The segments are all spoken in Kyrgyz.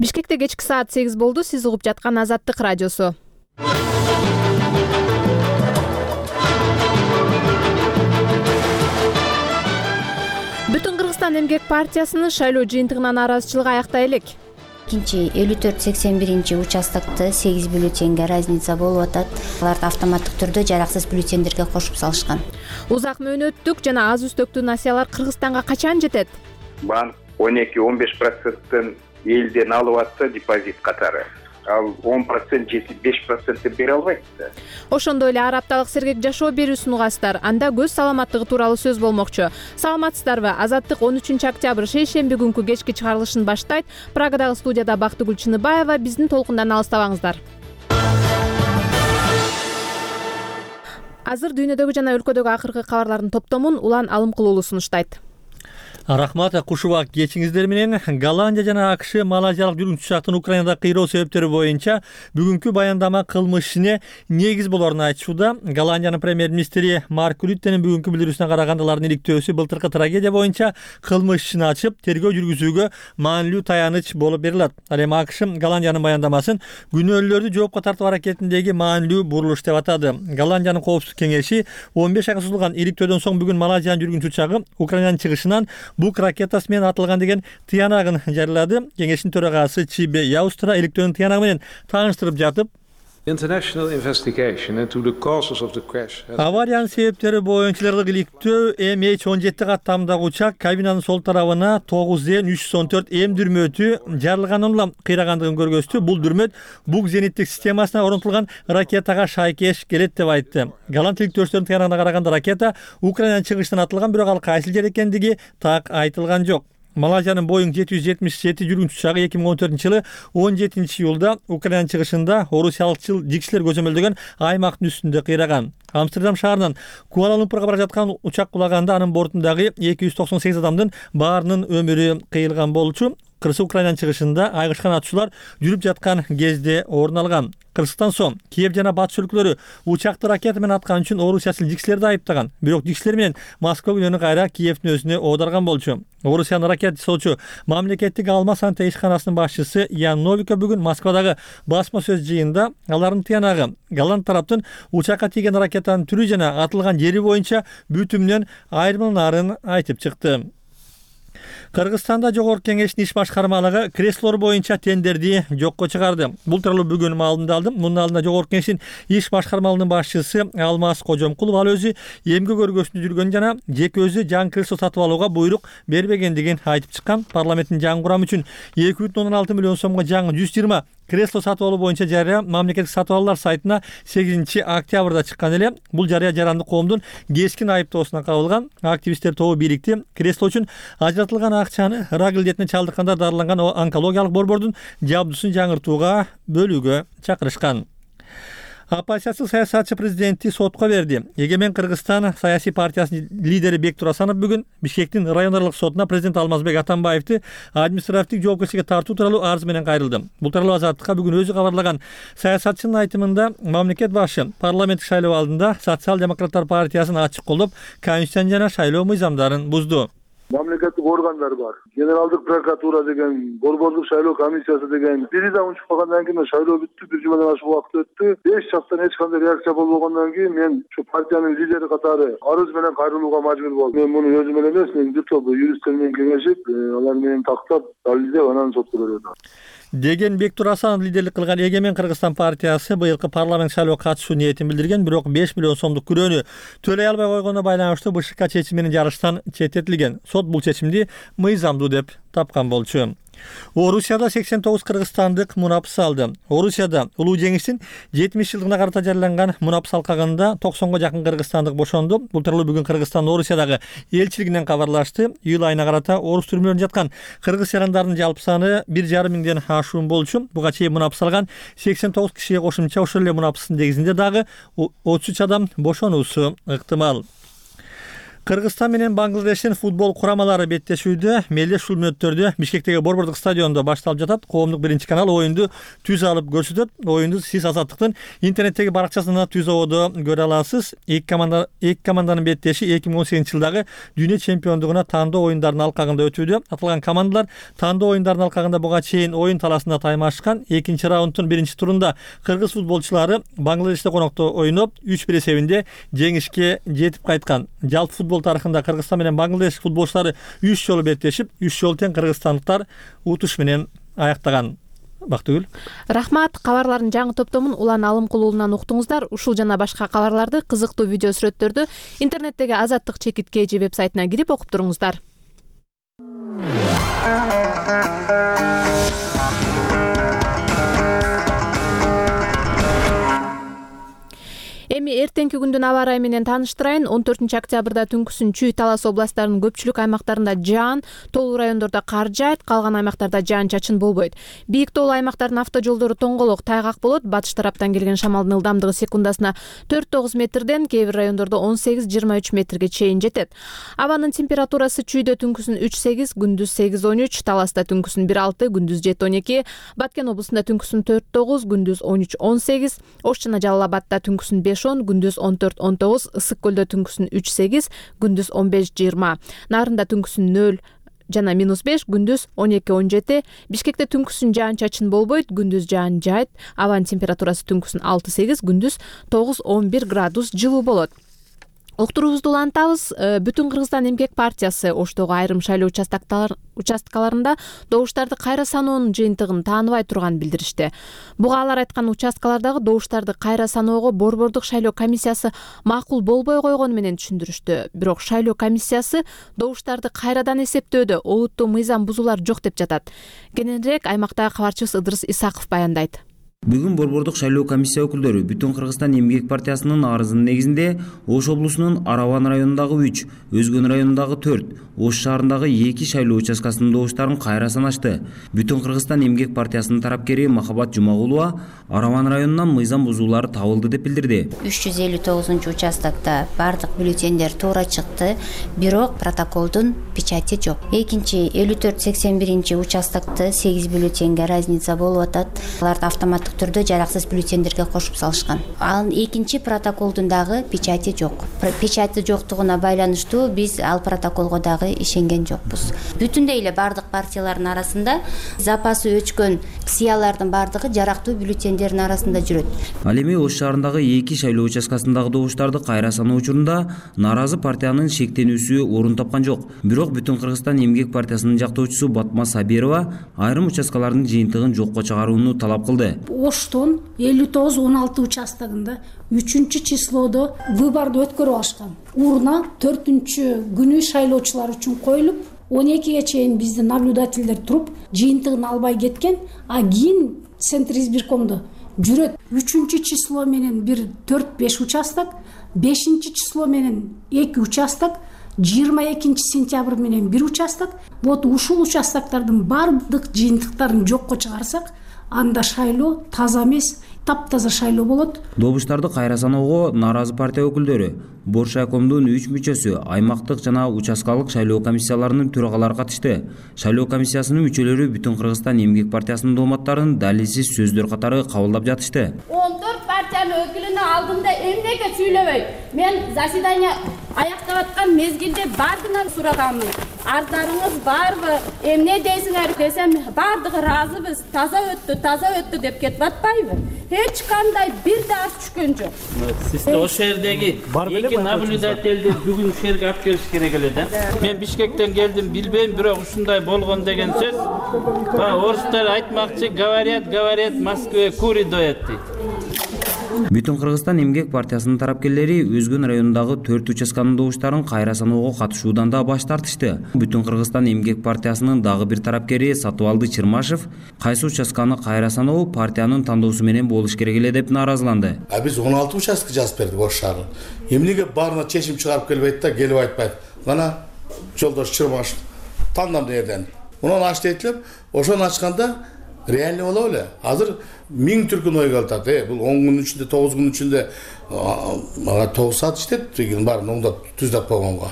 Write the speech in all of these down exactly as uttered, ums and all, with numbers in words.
Бишкекте кечки саат сегиз болду. Сиз угуп жаткан Азаттык радиосу. Бүтүн Кыргызстан эмгек партиясынын шайлоо жыйынтыгынан нааразычылык аяктай элек. экинчи элүү төрт сексен биринчи участокто сегиз бюллетенге разница болуп атат. Аларды автоматтык түрдө жараксыз бюллетендерге кошуп салышкан. Узак мөөнөттүк жана аз үстөктүү насыялар Кыргызстанга качан жетет? Банк он эки он беш проценттен элден алып атса депозит катары. Ал он процент жетип беш процентти бере албайт да. Ошондой эле ар апталык сергек жашоо берүүсүн угасыздар. Анда көз саламаттыгы тууралуу сөз болмокчу. Саламатсыздарбы? Азаттык он үчүнчү октябрь шейшемби күнкү кечки чыгарылышын баштайт. Прагадагы студияда Бактыгүл Чыныбаева. Биздин толкундан алыстабаңыздар. Азыр дүйнөдөгү жана өлкөдөгү акыркы кабарлардын топтомун Улан Алымкулуулу сунуштайт. Рахмат, куш убак кечиңиздер менен. Голландия жана АКШ малайзиялык жүргүнчү учактын Украинада кыйроо себептери боюнча бүгүнкү баяндама кылмыш ишине негиз болоорун айтышууда. Голландиянын премьер-министри Марк Рюттенин бүгүнкү билдирүүсүнө караганда алардын иликтөөсү былтыркы трагедия боюнча кылмыш ишин ачып, тергөө жүргүзүүгө маанилүү таяныч болуп берилет. Ал эми АКШ Голландиянын баяндамасын күнөөлүүлөрдү жоопко тартуу аракетиндеги маанилүү бурулуш деп атады. Голландиянын коопсуздук кеңеши он беш айга созулган иликтөөдөн соң бүгүн Малайзиянын жүргүнчү учагы Украинанын чыгышынан бук ракетасы менен атылган деген тыянагын жарыялады. Кеңештин төрагасы Чибе Яустра иликтөөнүн тыянагы менен тааныштырып жатып, авариянын себептери боюнча иликтөө эм эйч он жети каттамдагы учак кабинанын сол тарабына тогуз эн үч жүз он төрт эм дүрмөтү жарылганын улам кыйрагандыгын көргөздү. Бул дүрмөт бук зениттик системасына орнотулган ракетага шайкеш келет деп айтты. Голланд иликтөөчүлөрдүн тыянагына караганда ракета Украинанын чыгышынан атылган, бирок ал кайсыл жер экендиги так айтылган жок. Малайзиянын Боинг жети жүз жетимиш жети жүргүнчү учагы эки миң он төртүнчү жылы он жетинчи июлда Украинанын чыгышында орусиялыкчыл жигчилер көзөмөлдөгөн аймактын үстүндө кыйраган. Амстердам шаарынан Куала-Лумпурга бара жаткан учак кулаганда анын бортундагы эки жүз токсон сегиз адамдын баарынын өмүрү кыйылган болчу. Кыргыз Украинанын чыгышында айгышкан атышуулар жүрүп жаткан кезде орун алган. Кыргызстан соң Киев жана батыш өлкөлөрү учакты ракета менен аткан үчүн орусиячыл жигчилерди айыптаган. Бирок жигчилер менен Москва күнөөнү кайра Киевдин өзүнө оодарган болчу. Орусиянын ракета жасоочу мамлекеттик алма санта ишканасынын башчысы Ян Новиков бүгүн Москвадагы басма сөз жыйында алардын тыянагы Голланд тараптын учакка тийген ракетанын түрү жана атылган жери боюнча бүтүмүнөн айырмаларын айтып чыкты. Кыргызстанда Жогорку Кеңештин иш башкармалыгы креслолор боюнча тендерди жокко чыгарды. Бул тууралуу бүгүн маалымат алдым. Мунун алдында Жогорку Кеңештин иш башкармалыгынын башчысы Алмаз Кожомкулов ал өзү эмгек өргөсүндө жүргөн жана жеке өзү жаңы кресло сатып алууга буйрук бербегендигин айтып чыккан. Парламенттин жаңы курамы үчүн эки бүтүн ондон алты миллион сомго жаңы жүз жыйырма кресло сатып алуу боюнча жарыя мамлекеттик сатып алуулар сайтына сегизинчи октябрда чыккан эле. Бул жарыя жарандык коомдун кескин айыптоосуна кабылган. Активисттер тобу бирикти. Кресло үчүн ажыратылган акчаны рак илдетине чалдыккандар дарыланган онкологиялык борбордун жабдуусун жаңыртууга бөлүүгө чакырышкан. Оппозициялык саясатчы президентти сотко берди. Эгемен Кыргызстан саясий партиясынын лидери Бектур Асанов бүгүн Бишкектин райондарлык сотуна президент Алмазбек Атамбаевди административдик жоопкерчиликке тартуу тууралуу арыз менен кайрылды. Бул тууралуу Азаттыкка бүгүн өзү кабарлаган. Саясатчынын айтымында мамлекет башы парламенттик шайлоо алдында социал-демократтар партиясын ачык колдоп, конституциянын жана шайлоо мыйзамдарын бузду. Мамлекеттик органдар бар. Генералдык прокуратура деген, борбордук шайлоо комиссиясы деген. Бири да унчуп калгандан кийин шайлоо бүттү, бир жумадан ашык убакыт өттү. Беш жактан эч кандай реакция болбогондон кийин мен ушу партиянын лидери катары арыз менен кайрылууга мажбур болдум. Мен муну өзүм эле эмес, мен бир топ юристтер менен кеңешип, алар менен тактап, далилдеп анан сотко бердим. Деген Бектур Асанов лидерлик кылган Эгемен Кыргызстан партиясы быйылкы парламент шайлоого катышуу ниетин билдирген, бирок беш миллион сомдук күрөөнү төлөй албай койгонуна байланыштуу БШК чечими менен жарыштан четтетилген. Сот бул чечимди мыйзамдуу деп тапкан болчу. Орусияда сексен тогуз кыргызстандык мунапыс алды. Орусияда улуу жеңиштин жетимиш жылдыгына карата жарыяланган мунапыс алкагында токсонго жакын кыргызстандык бошонду. Бул тууралуу бүгүн Кыргызстан Орусиядагы элчилигинен кабарлашты. Июль айына карата орус түрмөлөрүндө жаткан кыргыз жарандарынын жалпы саны бир жарым миңден ашуун болчу. Буга чейин мунапыс алган сексен тогуз кишиге кошумча ошол эле мунапыстын негизинде дагы отуз үч адам бошонуусу ыктымал. Кыргызстан менен Бангладештин футбол курамалары беттешүүдө мелдеш ушул мүнөттөрдө Бишкектеги Борбордук стадиондо башталып жатат. Коомдук биринчи канал оюнду түз алып көрсөтөт. Оюнду сиз Азаттыктын интернеттеги баракчасында түз ободо көрө аласыз. Эки команда эки команданын беттеши эки миң он сегизинчи жылдагы дүйнө чемпиондугуна таандоо оюндарынын алкагында өтүүдө. Аталган командалар таандоо оюндарынын алкагында буга чейин оюн талаасында таймашкан. Экинчи раунддун биринчи турунда кыргыз футболчулары Бангладеште конокто ойноп үч бир эсебинде жеңишке жетип кайткан. Жалпы футбол тарыхында Кыргызстан менен Бангладеш футболчулары үч жолу беттешип, үч жолу тең кыргызстандыктар утуш менен аяктаган. Бактыгүл. Рахмат. Кабарлардын жаңы топтомун Улан Алымкулуулунан уктуңуздар. Ушул жана башка кабарларды, кызыктуу видео сүрөттөрдү интернеттеги Азаттык чекит кж вебсайтына кирип окуп туруңуздар. Эми эртеңки күндүн аба ырайы менен тааныштырайын. он төртүнчү октябрда түнкүсүн Чүй, Талас областтарынын көпчүлүк аймактарында жаан, тоолуу райондордо кар жаайт, калган аймактарда жаан-чачын болбойт. Бийик тоолуу аймактардын автожолдору тоңголок, тайгак болот. Батыш тараптан келген шамалдын ылдамдыгы секундасына төрт тогуз метрден, кээ бир райондордо он сегиз жыйырма үч метрге чейин жетет. Абанын температурасы Чүйдө түнкүсүн үч сегиз, күндүз сегиз он үч, Таласта түнкүсүн бир алты, күндүз жети он эки, Баткен облусунда түнкүсүн төрт тогуз, күндүз он үч он сегиз, Ош жана Жалал Абадта түнкүсүн беш он, күндүз он төрт он тогуз, Ысык көлдө түнкүсүн үч сегиз, күндүз он беш жыйырма, Нарында түнкүсүн нөл жана минус беш, күндүз он эки он жети, Бишкекте түнкүсүн жаан-чачын болбойт, күндүз жаан жаайт, абанын температурасы түнкүсүн алты сегиз, күндүз тогуз он бир градус жылуу болот. Уктуруубузду улантабыз. Бүтүн Кыргызстан эмгек партиясы Оштогу айрым шайлоо участкаларында добуштарды кайра саноонун жыйынтыгын тааныбай турганын билдиришти. Буга алар айткан участкалардагы добуштарды кайра саноого Борбордук шайлоо комиссиясы макул болбой койгону менен түшүндүрүштү. Бирок шайлоо комиссиясы добуштарды кайрадан эсептөөдө олуттуу мыйзам бузуулар жок деп жатат. Кененирээк аймактагы кабарчыбыз Ыдырыс Исаков баяндайт. Бүгүн Борбордук шайлоо комиссия өкүлдөрү Бүтүн Кыргызстан эмгек партиясынын арызынын негизинде Ош облусунун Араван районундагы үч, Өзгөн районундагы төрт, Ош шаарындагы эки шайлоо участкасынын добуштарын кайра санашты. Бүтүн Кыргызстан эмгек партиясынын тарапкери Махабат Жумагулова Араван районунан мыйзам бузуулар табылды деп билдирди. үч жүз элүү тогузунчу участокто бардык бюллетендер туура чыкты, бирок протоколдун печати жок. Экинчи элүү төрт сексен биринчи участокто сегиз бюллетенге разница болуп атат. Аларды автоматтык түрдө жараксыз бюллетендерге кошуп салышкан. Ал экинчи протоколдун дагы печати жок. Печати жоктугуна байланыштуу биз ал протоколго дагы ишенген жокпуз. Бүтүндөй эле бардык партиялардын арасында запасы өчкөн ксиялардын бардыгы жарактуу бюллетендердин арасында жүрөт. Ал эми Ош шаарындагы эки шайлоо участкасындагы добуштарды кайра саноо учурунда нааразы партиянын шектенүүсү орун тапкан жок. Бирок Бүтүн Кыргызстан эмгек партиясынын жактоочусу Батма Сабирова айрым участкалардын жыйынтыгын жокко чыгарууну талап кылды. Оштон элүү тогуз он алты участогунда үчүнчү числодо выборду өткөрүп алышкан. Урна төртүнчү күнү шайлоочулар үчүн коюлуп, он экиге чейин биздин наблюдательдер туруп, жыйынтыгын албай кеткен, а кийин Центр избиркомдо жүрөт. Үчүнчү число менен бир төрт беш участок, бешинчи число менен эки участок, жыйырма экинчи сентябрь менен бир участок. Вот ушул участоктардын бардык жыйынтыктарын жокко чыгарсак, анда шайлоо таза эмес, таптаза шайлоо болот. Добуштарды кайра саноого нааразы партия өкүлдөрү, Боршайкомдун үч мүчөсү, аймактык жана участкалык шайлоо комиссияларынын төрагалары катышты. Шайлоо комиссиясынын мүчөлөрү Бүтүн Кыргызстан эмгек партиясынын дооматтарын далилсиз сөздөр катары кабылдап жатышты. он төрт партиянын өкүлүнүн алдында эмнеге сүйлөбөйт? Мен заседание аяктап аткан мезгилде бардынан сураганмын. Ардарыңыз барбы? Эмне дейсиңер десем, бардыгы ыраазыбыз. Таза өттү, таза өттү деп кетип атпайбы? Эч кандай бир да аш түшкөн жок. Сиз ошол жердеги эки наблюдательди бүгүн шерге алып келиш керек эле да. Мен Бишкектен келдим, билбейм, бирок ушундай болгон деген сөз. Орустар айтмакчы, говорят, говорят, Москве кури доят дейт. Бүтүн Кыргызстан эмгек партиясынын тарапкерлери Өзгөн районундагы төрт участканын добуштарын кайра саноого катышуудан да баш тартышты. Бүтүн Кыргызстан эмгек партиясынын дагы бир тарапкери Сатыбалды Чырмашев кайсы участканы кайра саноо партиянын тандоосу менен болуш керек эле деп нааразыланды. А биз он алты участок жазып бердик Ош шаарына. Эмнеге баарына чечим чыгарып келбейт да, келип айтпайт. Гана жолдош Чырмашев тандам дээрден. Унан аш дейтлеп, ошону ачканда реальный боло беле. Азыр миң түркүн ойго атат. Э, бул он күнүн ичинде, тогуз күнүн ичинде мага тогуз саат иштет деген баарын оңдоп түздап койгонго.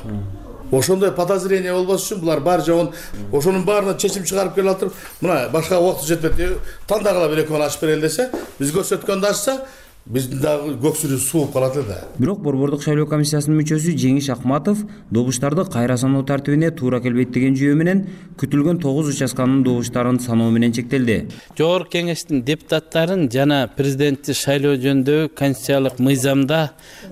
Ошондой подозрение болбош үчүн булар баары жогун ошонун баарына чечим чыгарып келе атып, мына башка убакыт жетпейт. Тандагыла бир эки күн ачып берели десе, биз көрсөткөндө ачса, биздин дагы көксүрү сууп калат эле. Бирок Борбордук шайлоо комиссиясынын мүчөсү Жеңиш Акматов добуштарды кайра саноо тартибине туура келбейт деген жүйө менен күтүлгөн тогуз участканын добуштарын саноо менен чектелди. Жогорку кеңештин депутаттарын жана президентти шайлоо жөнүндөгү конституциялык мыйзамда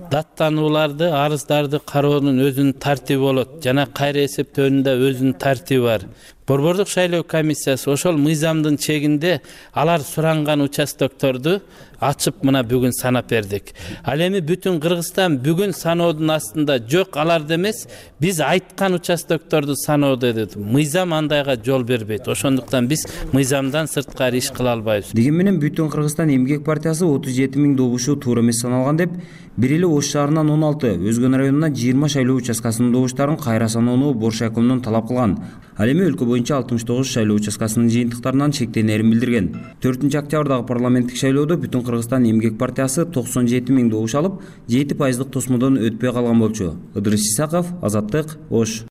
даттанууларды, арыздарды кароонун өзүнүн тартиби болот жана кайра эсептөөнүн да өзүнүн тартиби бар. Борбордук шайлоо комиссиясы ошол мыйзамдын чегинде алар суранган участокторду ачып мына бүгүн санап бердик. Ал эми бүтүн Кыргызстан бүгүн саноодун астында жок, аларды эмес, биз айткан участокторду саноодо деп. Мыйзам андайга жол бербейт. Ошондуктан биз мыйзамдан сырткары иш кыла албайбыз. Деген менен Бүтүн Кыргызстан эмгек партиясы отуз жети миң добушу туура эмес саналган деп, бир эле Ош шаарынан он алты, Өзгөн районунан жыйырма шайлоо участкасынын добуштарын кайра саноону Боршо акимдин талап кылган. Ал эми өлкө боюнча алтымыш тогуз шайлоо участкасынын жыйынтыктарынан чектенерин билдирген. төртүнчү октябрдагы парламенттик шайлоодо Бүтүн Кыргызстан эмгек партиясы токсон жети миң добуш алып, жети пайыздык тосмодон өтпөй калган болчу. Ыдырыс Исаков, Азаттык, Ош.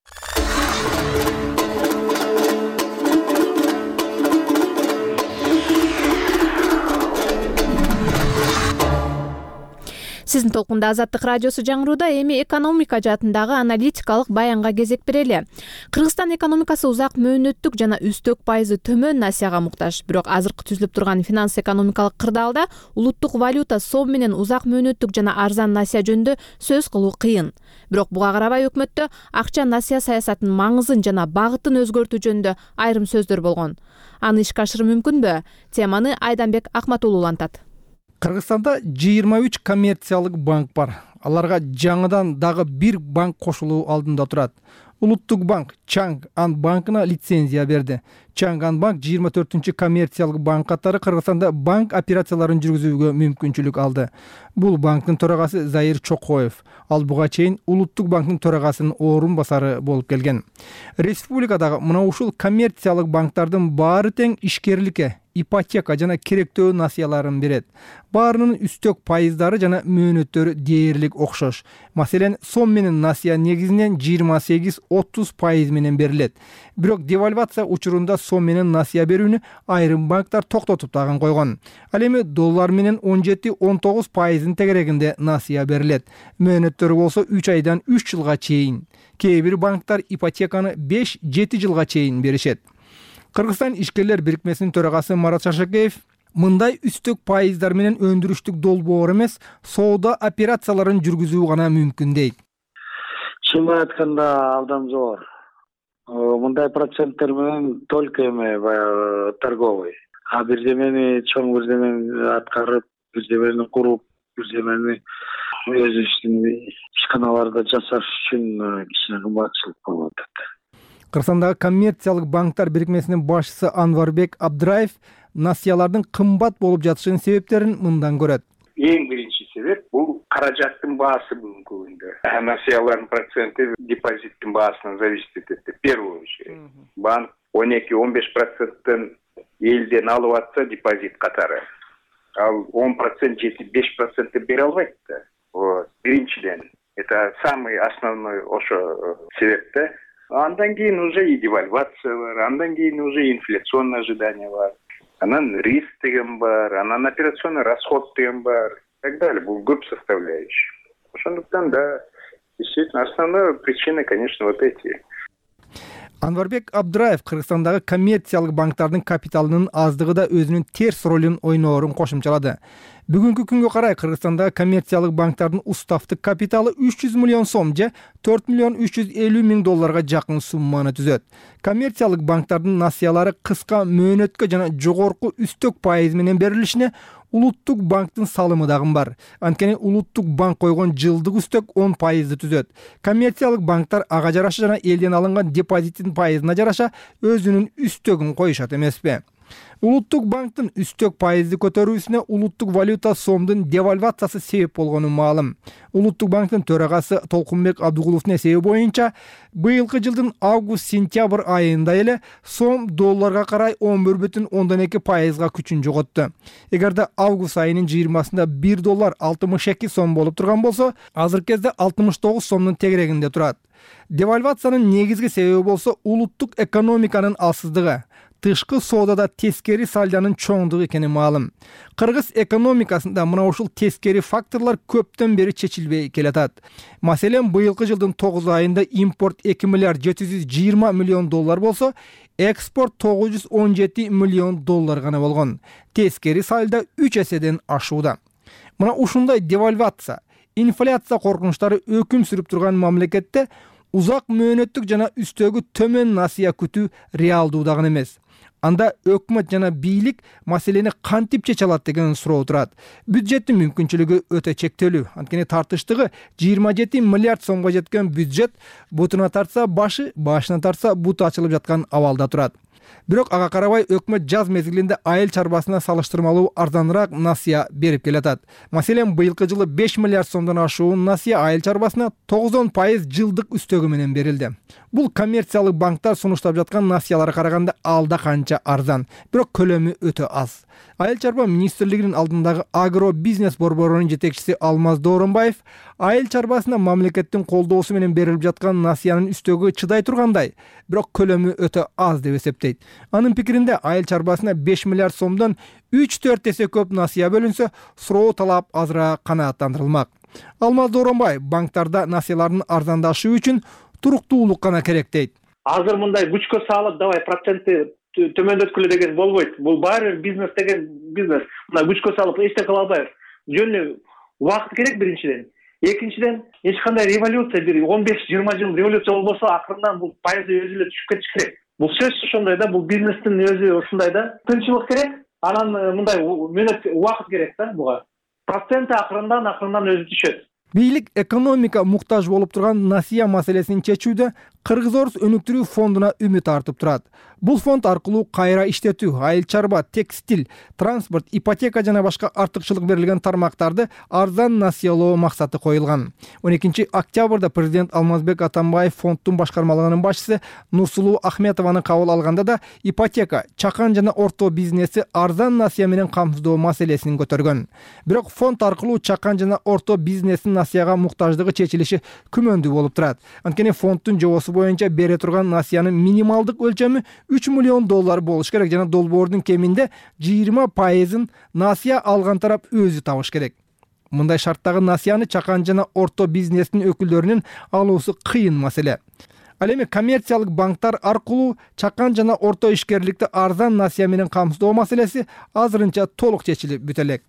Сиздин толкунда Азаттык радиосу жаңырууда. Эми экономика жаатындагы аналитикалык баянга кезек берели. Кыргызстан экономикасы узак мөөнөттүк жана үстөк пайызы төмөн насияга муктаж. Бирок азыркы түзүлүп турган финанс-экономикалык кырдаалда улуттук валюта сом менен узак мөөнөттүк жана арзан насия жөнүндө сөз кылуу кыйын. Бирок буга карабай өкмөттө акча насия саясатынын маңызын жана багытын өзгөртүү жөнүндө айрым сөздөр болгон. Аны ишке ашыруу мүмкүнбү? Теманы Айданбек Акматулуу улантат. Кыргызстанда жыйырма үч коммерциялык банк бар. Аларга жаңыдан дагы бир банк кошулуу алдында турат. Улуттук банк Чанган банкына лицензия берди. Чанган банк жыйырма төртүнчү коммерциялык банк катары Кыргызстанда банк операцияларын жүргүзүүгө мүмкүнчүлүк алды. Бул банктын төрагасы Заир Чокоев. Ал буга чейин Улуттук банктын төрагасынын орун басары болуп келген. Республикадагы мына ушул коммерциялык банктардын баары тең ишкерликке, ипотека жана керектөө насыяларын берет. Баарынын үстөк пайыздары жана мөөнөттөрү дээрлик окшош. Маселен, сом менен насыя негизинен жыйырма сегиз отуз пайыз менен берилет. Бирок девальвация учурунда сом менен насыя берүүнү айрым банктар токтотуп тагын койгон. Ал эми доллар менен он жети он тогуз пайыздын тегерегинде насыя берилет. Мөөнөттөрү болсо үч айдан үч жылга чейин. Кээ бир банктар ипотеканы беш жети жылга чейин беришет. Кыргызстан ишкерлер бирикмесинин төрагасы Марат Шашакеев мындай үстөк пайыздар менен өндүрүштүк долбоор эмес, соода операцияларын жүргүзүү гана мүмкүн дейт. Чынын айтканда абдан зор. Мындай проценттер менен только эме баягы торговый. А бирдемени чоң бирдемени аткарып, бирдемени куруп, бирдемени өзүбүздүн ишканаларда жасаш үчүн кичине кымбатчылык болуп атат. Кыргызстандагы коммерциялык банктар бирикмесинин башчысы Анварбек Абдраев насыялардын кымбат болуп жатышынын себептерин мындан көрөт. Эң биринчи себеп бул каражаттын баасы бүгүнкү күндө. Насыялардын проценти депозиттин баасынан зависит этет. В первую очередь. Банк он эки он беш проценттен элден алып атса депозит катары. Ал он процент жети беш процентти бере албайт да. Вот. Биринчиден. Это самый основной ошо себепте. Андан кийин уже и девальвация бар, андан кийин уже инфляционное ожидание бар. Анан риск деген бар, анан операционный расход деген бар. И так далее. Бул көп составляющий. Ошондуктан, да, действительно, основная причина, конечно, вот эти. Анварбек Абдраев Кыргызстандагы коммерциялык банктардын капиталынын аздыгы да өзүнүн терс ролун ойноорун кошумчалады. Бүгүнкү күнгө карай Кыргызстандагы коммерциялык банктардын уставтык капиталы үч жүз миллион сом же төрт миллион үч жүз элүү миң долларга жакын сумманы түзөт. Коммерциялык банктардын насыялары кыска мөөнөткө жана жогорку үстөк пайыз менен берилишине Улуттук банктын салымы дагы бар. Анткени Улуттук банк койгон жылдык үстөк он пайызды түзөт. Коммерциялык банктар ага жараша жана элден алынган депозиттин пайызына жараша өзүнүн үстөгүн коюшат эмеспи? Улуттук банктын үстөк пайызды көтөрүүсүнө улуттук валюта сомдун девальвациясы себеп болгону маалым. Улуттук банктын төрагасы Толкунбек Абдыгуловдун эсеби боюнча, быйылкы жылдын август-сентябрь айында эле сом долларга карай он бир бүтүн ондон эки пайызга күчүн жоготту. Эгерде август айынын жыйырмасында бир доллар алтымыш эки сом болуп турган болсо, азыркы кезде алтымыш тогуз сомдун тегерегинде турат. Девальвациянын негизги себеби болсо улуттук экономиканын алсыздыгы, тышкы соодада тескери сальдонун чоңдугу экени маалым. Кыргыз экономикасында мына ушул тескери факторлор көптөн бери чечилбей келатат. Маселен, быйылкы жылдын тогуз айында импорт эки миллиард жети жүз жыйырма миллион доллар болсо, экспорт тогуз жүз он жети миллион доллар гана болгон. Тескери сальдо үч эседен ашууда. Мына ушундай девальвация, инфляция коркунучтары өкүм сүрүп турган мамлекетте узак мөөнөттүк жана үстөгү төмөн насыя күтүү реалдуу дагы эмес. Анда өкмөт жана бийлик маселени кантип чече алат деген суроо турат. Бюджеттин мүмкүнчүлүгү өтө чектелүү. Анткени тартыштыгы жыйырма жети миллиард сомго жеткен бюджет бутуна тартса башы, башына тартса буту ачылып жаткан абалда турат. Бирок ага карабай өкмөт жаз мезгилинде айыл чарбасына салыштырмалуу арзаныраак насыя берип келатат. Маселен, быйылкы жылы беш миллиард сомдон ашуун насыя айыл чарбасына тогузон пайыз жылдык үстөгү менен берилди. Бул коммерциялык банктар сунуштап жаткан насыяларга караганда алда канча арзан, бирок көлөмү өтө аз. Айыл чарба министрлигинин алдындагы агро бизнес борборунун жетекчиси Алмаз Дооронбаев айыл чарбасына мамлекеттин колдоосу менен берилип жаткан насыянын үстөгү чыдай тургандай, бирок көлөмү өтө аз деп эсептейт. Анын пикиринде, айыл чарбасына беш миллиард сомдон үч төрт эсе көп насыя бөлүнсө, суроо талап азыраак канааттандырылмак. Алмаз Дооронбаев банктарда насыялардын арзандашы үчүн туруктуулук гана керек дейт. Азыр мындай күчкө салып, давай процентти төмөндөткүлө деген болбойт. Бул баары бизнес деген бизнес. Мына күчкө салып эчтеке кыла албайбыз. Жөнү убакыт керек биринчиден. Экинчиден, эч кандай революция, бир он беш жыйырма жыл революция болбосо, акырындан бул пайызы өзү эле түшүп кетиш керек. Бул сөзсүз ошондой да, бул бизнестин өзү ушундай да. Тынччылык керек, анан мындай мөөнөт убакыт керек да буга. Проценти акырындан акырындан өзү түшөт. Бийлик экономика муктаж болуп турган насыя маселесин чечүүдө Кыргыз-Орус өнүктүрүү фондуна үмүт артып турат. Бул фонд аркылуу кайра иштетүү, айыл чарба, текстиль, транспорт, ипотека жана башка артыкчылык берилген тармактарды арзан насыялоо максаты коюлган. он экинчи октябрда президент Алмазбек Атамбаев фонддун башкармалыгынын башчысы Нурсулуу Ахметованы кабыл алганда да ипотека, чакан жана орто бизнеси арзан насыя менен камсыздоо маселесин көтөргөн. Бирок фонд аркылуу чакан жана орто бизнестин насыяга муктаждыгы чечилиши күмөндүү болуп турат. Анткени фонддун жобосу боюнча бере турган насыянын минималдык өлчөмү үч миллион доллар болуш керек жана долбоордун кеминде жыйырма пайызын насыя алган тарап өзү табыш керек. Мындай шарттагы насыяны чакан жана орто бизнестин өкүлдөрүнүн алуусу кыйын маселе. Ал эми коммерциялык банктар аркылуу чакан жана орто ишкерликти арзан насыя менен камсыздоо маселеси азырынча толук чечилип бүтө элек.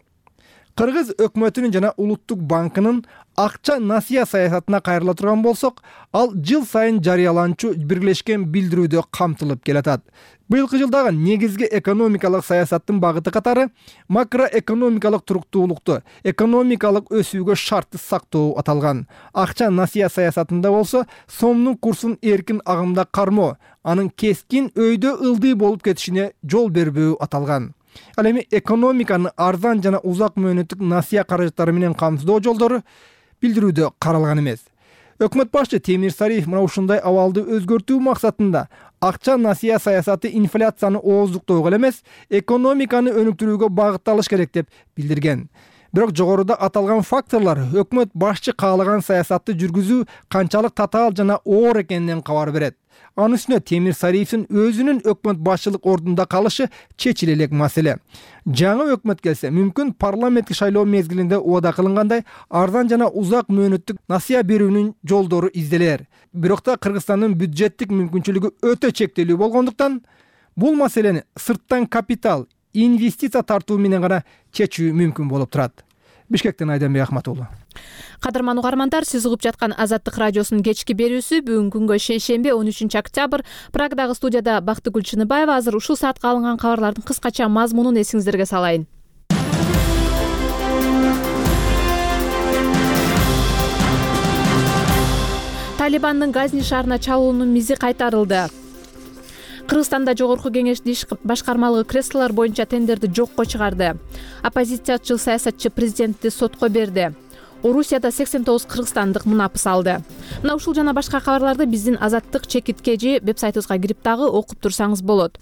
Кыргыз өкмөтүнүн жана улуттук банкынын акча насыя саясатына кайрыла турган болсок, ал жыл сайын жарыяланчу биргелешкен билдирүүдө камтылып келатат. Быйылкы жылдагы негизги экономикалык саясаттын багыты катары макроэкономикалык туруктуулукту, экономикалык өсүүгө шартты сактоо аталган. Акча насыя саясатында болсо, сомдун курсун эркин агымда кармоо, анын кескин өйдө ылдый болуп кетишине жол бербөө аталган. Ал эми экономиканы арзан жана узак мөөнөттүк насыя каражаттары менен камсыздоо жолдору билдирүүдө каралган эмес. Өкмөт башчы Темир Сариев мына ушундай абалды өзгөртүү максатында акча насыя саясаты инфляцияны ооздуктоого эмес, экономиканы өнүктүрүүгө багытталыш керек деп билдирген. Бирок жогоруда аталган факторлор өкмөт башчы каалаган саясатты жүргүзүү канчалык татаал жана оор экенинен кабар берет. Анын үстүнө Темир Сариевдин өзүнүн өкмөт башчылык ордунда калышы чечиле элек маселе. Жаңы өкмөт келсе, мүмкүн парламенттик шайлоо мезгилинде убада кылынгандай арзан жана узак мөөнөттүк насыя берүүнүн жолдору изделер. Бирок да Кыргызстандын бюджеттик мүмкүнчүлүгү өтө чектелүү болгондуктан бул маселени сырттан капитал, инвестиция тартуу менен гана чечүү мүмкүн болуп турат. Бишкектен Айданбек Ахматуулу. Кадырман угармандар, сиз угуп жаткан Азаттык радиосунун кечки берүүсү бүгүнкү күнгө шейшемби он үчүнчү октябрь. Прагадагы студияда Бактыгүл Чыныбаева. Азыр ушул саатка алынган кабарлардын кыскача мазмунун эсиңиздерге салайын. Талибандын Газни шаарына чалуунун мизи кайтарылды. Кыргызстанда Жогорку Кеңештин иш башкармалыгы креслолор боюнча тендерди жокко чыгарды. Оппозициячыл саясатчы президентти сотко берди. Орусияда сексен тогуз кыргызстандык мунапыс алды. Мына ушул жана башка кабарларды биздин Азаттык чекиткежи веб-сайтыбызга кирип дагы окуп турсаңыз болот.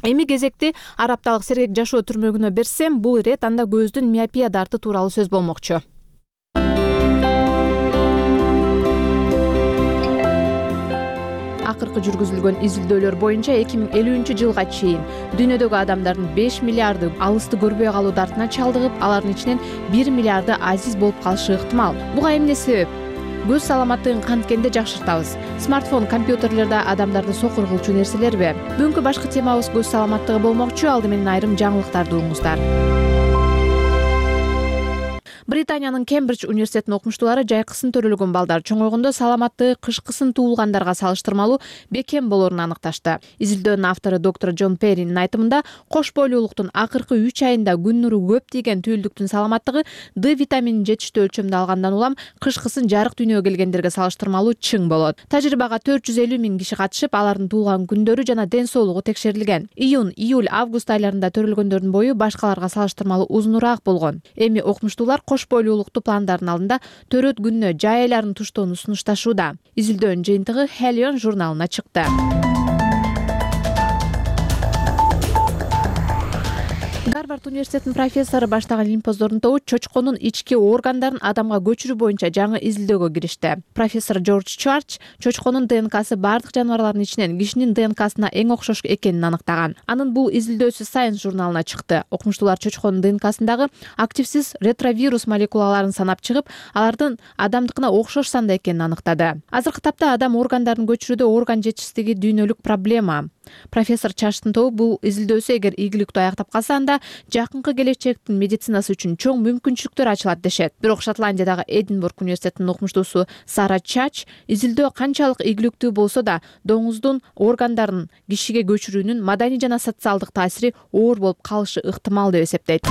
Эми кезекти арапталык сергек жашоо түрмөгүнө берсем, бул ирет анда көздүн миопия дарты тууралуу сөз болмокчу. Акыркы жүргүзүлгөн изилдөөлөр боюнча эки миң элүүнчү жылга чейин дүйнөдөгү адамдардын беш миллиарды алысты көрбөй калуу дартына чалдыгып, алардын ичинен бир миллиарды азиз болуп калышы ыктымал. Буга эмне себеп? Көз саламаттыгын канткенде жакшыртабыз. Смартфон, компьютерлерде адамдарды сокур кылчу нерселерби? Бүгүнкү башкы темабыз көз саламаттыгы болмокчу. Алды менен айрым жаңылыктарды угуңуздар. Британиянын Кембридж университетинин окумуштуулары жайкысын төрөлгөн балдар чоңойгондо саламаттыгы кышкысын туулгандарга салыштырмалуу бекем болоорун аныкташты. Изилдөөнүн автору доктор Джон Перринин айтымында, кош бойлуулуктун акыркы үч айында күн нуру көп тийген түйүлдүктүн саламаттыгы Д витаминин жетиштүү өлчөмдө алгандан улам кышкысын жарык дүйнөгө келгендерге салыштырмалуу чың болот. Тажрыйбага төрт жүз элүү миң киши катышып, алардын туулган күндөрү жана ден соолугу текшерилген. Июнь, июль, август айларында төрөлгөндөрдүн бою башкаларга салыштырмалуу узунураак болгон. Эми окумуштуулар кош бойлуулукту пландардын алдында төрөт күнүнө жай айларын туштоону сунушташууда. Изилдөөнүн жыйынтыгы Helion журналына чыкты. Гарвард университетинин профессору баштаган илимпоздордун тобу чочконун ички органдарын адамга көчүрүү боюнча жаңы изилдөөгө киришти. Профессор Джордж Чарч чочконун ДНКсы бардык жаныбарлардын ичинен кишинин ДНКсына эң окшош экенин аныктаган. Анын бул изилдөөсү Science журналына чыкты. Окумуштуулар чочконун ДНКсындагы активсиз ретровирус молекулаларын санап чыгып, алардын адамдыкына окшош санда экенин аныктады. Азыркы тапта адам органдарын көчүрүүдө орган жетишсиздиги дүйнөлүк проблема. Профессор Чарчтын тобу бул изилдөөсү эгер ийгиликтүү аяктап калса, анда жакынкы келечектин медицинасы үчүн чоң мүмкүнчүлүктөр ачылат дешет. Бирок Шотландиядагы Эдинбург университетинин окумуштуусу Сара Чач изилдөө канчалык ийгиликтүү болсо да, доңуздун органдарын кишиге көчүрүүнүн маданий жана социалдык таасири оор болуп калышы ыктымал деп эсептейт.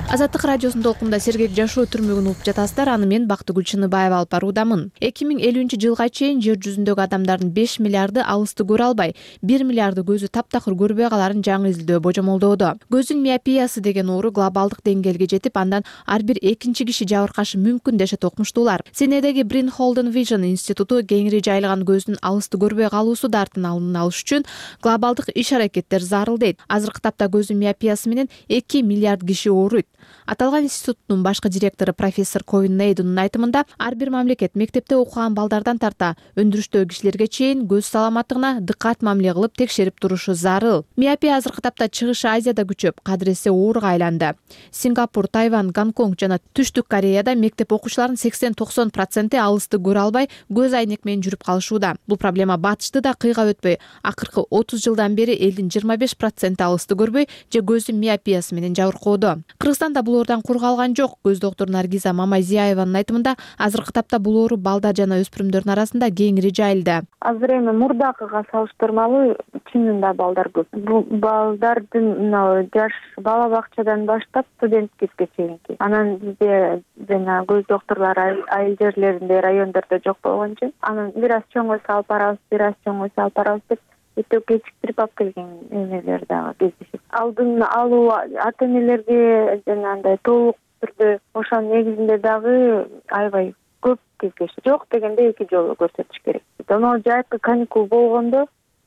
Азаттык радиосунун толкунда сергек жашоо түрмөгүн угуп жатасыздар. Аны мен Бактыгүл Чыныбаева алып баруудамын. эки миң элүүнчү жылга чейин жер жүзүндөгү адамдардын беш миллиарды алысты көрө албай, бир миллиарды көзү таптакыр көрбөй каларын жаңы изилдөө божомолдоодо. Көздүн миопиясы деген оору глобалдык деңгээлге жетип, андан ар бир экинчи киши жабыркашы мүмкүн дешет окумуштуулар. Сиднейдеги Брин Холден Vision институту кеңири жайылган көздүн алысты көрбөй калуусу дартын алдын алыш үчүн глобалдык иш-аракеттер зарыл дейт. Азыркы тапта көздүн миопиясы менен эки миллиард киши ооруйт. Аталган институттун башкы директору профессор Ковин Нейдунун айтымында, ар бир мамлекет мектепте окуган балдардан тарта өндүрүштөгү кишилерге чейин көз саламаттыгына дыккат мамиле кылып текшерип турушу зарыл. Миопия азыркы тапта Чыгыш Азияда күчөп, кадыресе ооруга айланды. Сингапур, Тайвань, Гонконг жана Түштүк Кореяда мектеп окуучуларынын сексен токсон проценти алысты көрө албай, көз айнек менен жүрүп калышууда. Бул проблема батышты да кыйга өтпөй, акыркы отуз жылдан бери элдин жыйырма беш проценти алысты көрбөй же көздүн миопиясы менен жабыркоодо. Кыргызстанда бул оорудан кур калган жок. Көз доктуру Наргиза Мамайзияеванын айтымында, азыркы тапта бул оору балдар жана өспүрүмдөрдүн арасында кеңири жайылды. Азыр эми мурдакыга салыштырмалуу чынында балдар көп. Бул балдардын мына жаш бала бакчадан баштап студенткеге чейинки. Анан бизде жана көз доктурлары айыл жерлеринде, райондордо жок болгон үчүн, анан бир аз чоңойсо алып барабыз, бир аз чоңойсо алып барабыз деп өтө кечиктирип алып келген эмелер дагы кездешет. Алдын алуу ата энелерге жанагындай толук түрдө ошонун негизинде дагы аябай көп кездешет. Жок дегенде эки жолу көрсөтүш керек. Анан жайкы каникул болгондо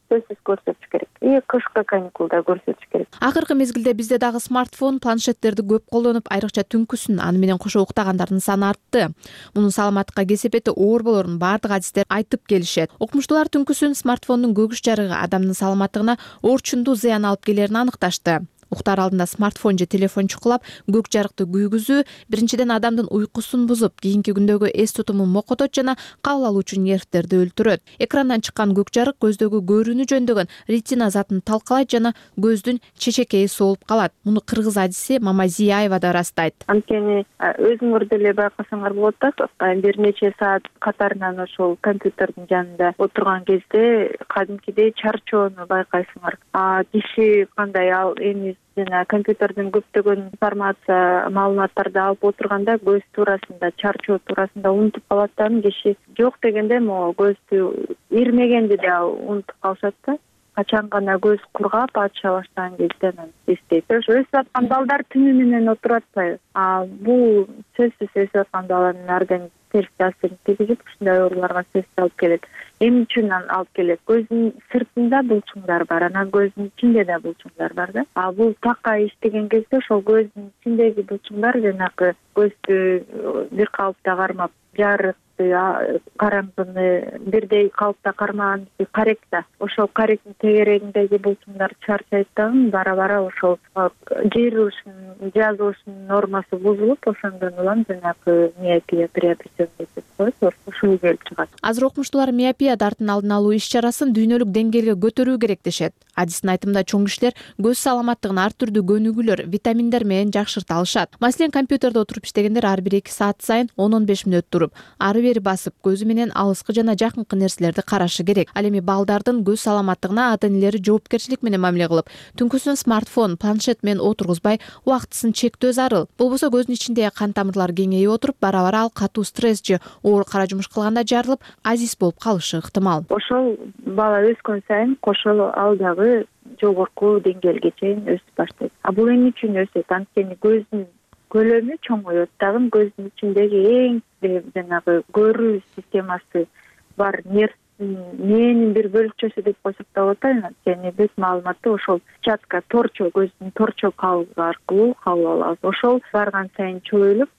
сөзсүз көрсөтүш керек. И кышкы каникулда көрсөтүш керек. Акыркы мезгилде бизде дагы смартфон, планшеттерди көп колдонуп, айрыкча түнкүсүн аны менен кошо уктагандардын саны артты. Мунун саламаттыкка кесепети оор болоорун бардык адистер айтып келишет. Окумуштуулар түнкүсүн смартфондун көгүш жарыгы адамдын саламаттыгына орчундуу зыян алып келерин аныкташты. Уктар алдында смартфон же телефон чукулап, көк жарыкты күйгүзүү биринчиден адамдын уйкусун бузуп, кийинки күндөгү эс тутумун мокотот жана кабыл алуучу нервтерди өлтүрөт. Экрандан чыккан көк жарык көздөгү көрүүнү жөндөгөн ретина затын талкалайт жана көздүн чечекейи соолуп калат. Муну кыргыз адиси Мамайзияева да ырастайт. Анткени өзүңөр деле байкасаңар болот да, бир нече саат катарынан ошол компьютердин жанында отурган кезде кадимкидей чарчоону байкайсыңар. А киши кандай ал эми жана компьютерден көптөгөн информация маалыматтарды алып отурганда көз туурасында, чарчоо туурасында унутуп калат да, киши жок дегенде могу көздү ирмегенди да унутуп калышат да. Качан гана көз кургап ача баштаган кезде анан эстейт. Ошо өсүп аткан балдар түнү менен отуруп атпайбы? А бул сөзсүз өсүп аткан баланын организмине терс таасирин тийгизип, ушундай ооруларга сөзсүз алып келет. Эмне үчүн алып келет? Көздүн сыртында булчуңдар бар, анан көздүн ичинде да булчуңдар бар да. А бул така иштеген кезде ошол көздүн ичиндеги булчуңдар жанагы көздү бир калыпта кармап, жарык караңгыны бирдей калыпта кармаган каректа, ошол каректин тегерегиндеги булчуңдар чарчайт дагы, бара-бара ошол жыйрылышынын, жазылышынын нормасы бузулуп, ошондон улам жанагы миопия приобретен деп коет, ушул келип чыгат. Азыр окумуштуулар миопия дартынын алдын алуу иш-чарасын дүйнөлүк деңгээлге көтөрүү керек дешет. Адистин айтымында чоң кишилер көз саламаттыгын ар түрдүү көнүгүүлөр, витаминдер менен жакшырта алышат. Маселен, компьютерде отуруп иштегендер ар бир эки саат сайын он он беш мүнөт туруп, ары бери басып, көзү менен алыскы жана жакынкы нерселерди карашы керек. Ал эми балдардын көз саламаттыгына ата-энелери жоопкерчилик менен мамиле кылып, түнкүсүн смартфон, планшет менен отургузбай, убактысын чектөө зарыл. Болбосо көздүн ичиндеги кан тамырлар кеңейип отуруп, бара-бара ал катуу стресс же оор кара жумуш кылганда жарылып, азиз болуп калышы ыктымал. Ошол бала өскөн сайын кошо ал дагы жогорку деңгээлге чейин өсүп баштайт. А бул эмне үчүн өсөт? Анткени көздүн көлөмү чоңоет дагы, көздүн ичиндеги эң жанагы көрүү системасы бар нерв мээнин бир бөлүкчөсү деп койсок да болот. Анткени бүт маалыматты ошол сетчатка, торчо, көздүн торчо кабыгы аркылуу кабыл алабыз. Ошол барган сайын чоюлуп,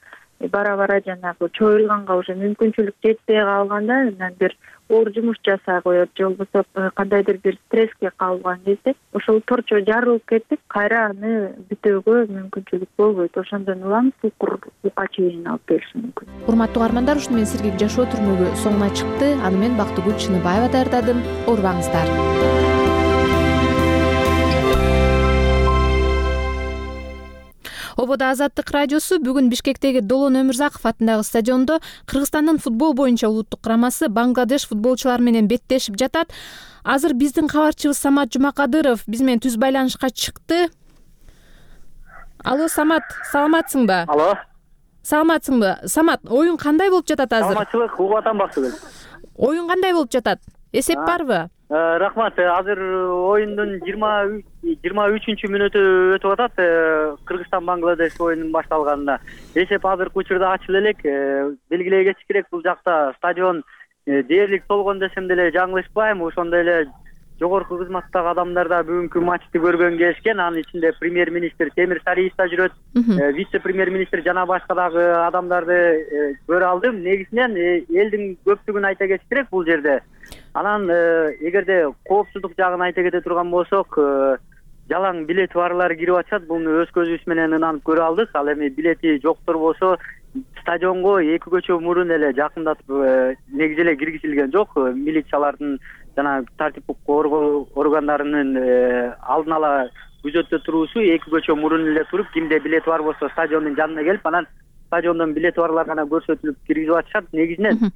бара-бара жанагы чоюлганга уже мүмкүнчүлүк жетпей калганда, анан бир оор жумуш жасай коет, же болбосо кандайдыр бир стресске кабылган кезде ошол торчо жарылып кетип, кайра аны бүтөөгө мүмкүнчүлүк болбойт. Ошондон улам сукурга чейин алып келиши мүмкүн. Урматтуу угармандар, ушуну менен Сергек жашоо түрмөгү соңуна чыкты. Аны мен Бактыгүл Чыныбаева даярдадым. Оорубаңыздар. Ободо Азаттык радиосу бүгүн Бишкектеги Долон Өмүрзаков атындагы стадиондо Кыргызстандын футбол боюнча улуттук курамасы Бангладеш футболчулары менен беттешип жатат. Азыр биздин кабарчыбыз Самат Жумакадыров биз менен түз байланышка чыкты. Алло, Самат, саламатсыңбы? Алло. Саламатсыңбы? Самат, оюн кандай болуп жатат азыр? Саламатчылык, угуп атам Бактыгүл. Оюн кандай болуп жатат? Эсеп барбы? Рахмат. Азыр оюндун жыйырма үчүнчү мүнөтү өтүп атат. Кыргызстан Бангладеш оюнунун башталганына. Эсеп азыркы учурда ачыла элек. Белгилей кетиш керек, бул жакта стадион дээрлик толгон десем деле жаңылышпайм. Ошондой эле жогорку кызматтагы адамдар да бүгүнкү матчты көргөнгө келишкен. Анын ичинде премьер-министр Темир Сариев да жүрөт. Вице-премьер-министр жана башка дагы адамдарды көрө алдым. Негизинен элдин көптүгүн айта кетиш керек бул жерде. Анан эгерде коопсуздук жагын айта кете турган болсок, жалаң билети барлар кирип атышат. Буну өз көзүбүз менен ынанып көрө алдык. Ал эми билети жоктор болсо стадионго эки көчө мурун эле жакындатып негизи эле киргизилген жок. Милициялардын жана тартиптик коргоо органдарынын алдын ала күзөттө туруусу эки көчө мурун эле туруп, кимде билети бар болсо стадиондун жанына келип, анан стадиондон билети барлар гана көрсөтүлүп киргизип атышат. Негизинен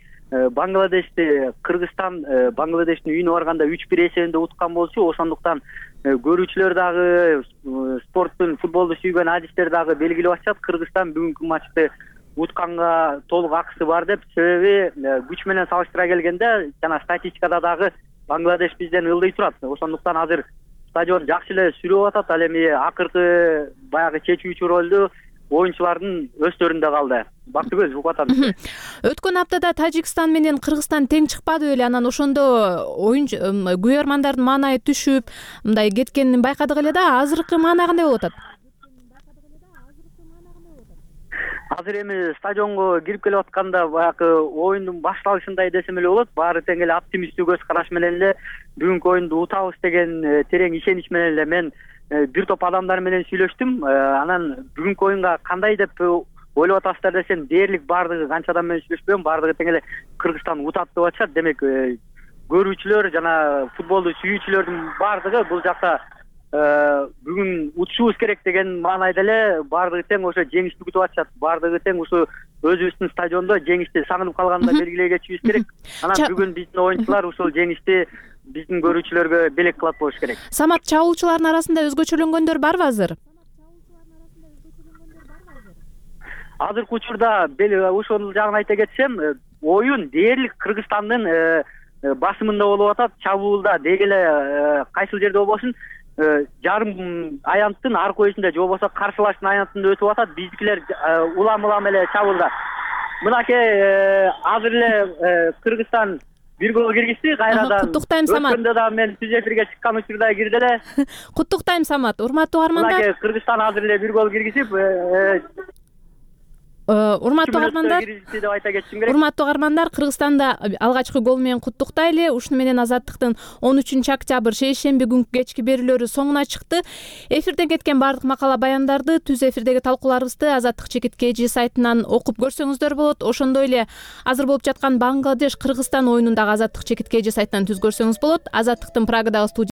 Бангладешти Кыргызстан Бангладештин үйүнө барганда үч бир эсебинде уткан болчу. Ошондуктан көрүүчүлөр дагы, спорттун, футболду сүйгөн адистер дагы белгилеп атышат. Кыргызстан бүгүнкү матчты утканга толук акысы бар деп. Себеби күч менен салыштыра келгенде жана статистикада дагы Бангладеш бизден ылдый турат. Ошондуктан азыр стадион жакшы эле сүрүп атат. Ал эми акыркы баягы чечүүчү ролду оюнчулардын өздөрүндө калды. Бактыгүл, угуп атам. Өткөн аптада Тажикстан менен Кыргызстан тең чыкпады беле? Анан ошондо оюнчу күбөрмандардын маанайы түшүп, мындай кеткенин байкадык эле да. Азыркы маана кандай болуп атат? Азыр эми стадионго кирип келип атканда баягы оюндун башталышындай десем эле болот. Баары тең эле оптимисттүү көз караш менен эле бүгүнкү оюнду утабыз деген терең ишенич менен эле мен бир топ адамдар менен сүйлөштүм. Анан бүгүнкү оюнга кандай деп ойлоп атасыздар десем, дээрлик баардыгы канча адам менен сүйлөшпөйм, баардыгы тең эле Кыргызстан утат деп атышат. Демек көрүүчүлөр жана футболду сүйүүчүлөрдүн баардыгы бул жакта бүгүн утушубуз керек деген маанайда эле баардыгы тең ошо жеңишти күтүп атышат. Баардыгы тең ушу өзүбүздүн стадиондо жеңишти сагынып калганында белгилей кетишибиз керек. Анан бүгүн биздин оюнчулар ушул жеңишти биздин көрүүчүлөргө белек кылат болуш керек. Самат, чабуулчулардын арасында өзгөчөлөнгөндөр барбы азыр? азыркы учурда ошол жагын айта кетсем, оюн дээрлик Кыргызстандын басымында болуп атат. Чабуулда деги эле кайсыл жерде болбосун жарым аянттын аркы өйүсүндө же болбосо каршылаштын аянтында өтүп атат. Биздикилер улам улам эле чабуулда. Мынакей азыр эле Кыргызстан бир гол киргизди кайрадан. Куттуктайм, Самат. Өткөндө да мен түз эфирге чыккан учурда кирди эле. Куттуктайм, Самат. Урматтуу угармандар. Мынакей Кыргызстан азыр эле бир гол киргизип, урматтуу угармандар, деп айта кетишим керек. урматтуу угармандар, Кыргызстанда алгачкы гол менен куттуктайлы. Ушуну менен Азаттыктын он үчүнчү октябрь шейшемби күнкү кечки берүүлөрү соңуна чыкты. Эфирден кеткен баардык макала баяндарды, түз эфирдеги талкууларыбызды Азаттык чекит kg сайтынан окуп көрсөңүздөр болот. Ошондой эле азыр болуп жаткан Бангладеш Кыргызстан оюнун дагы Азаттык чекит kg сайтынан түз көрсөңүз болот. Азаттыктын Прагадагы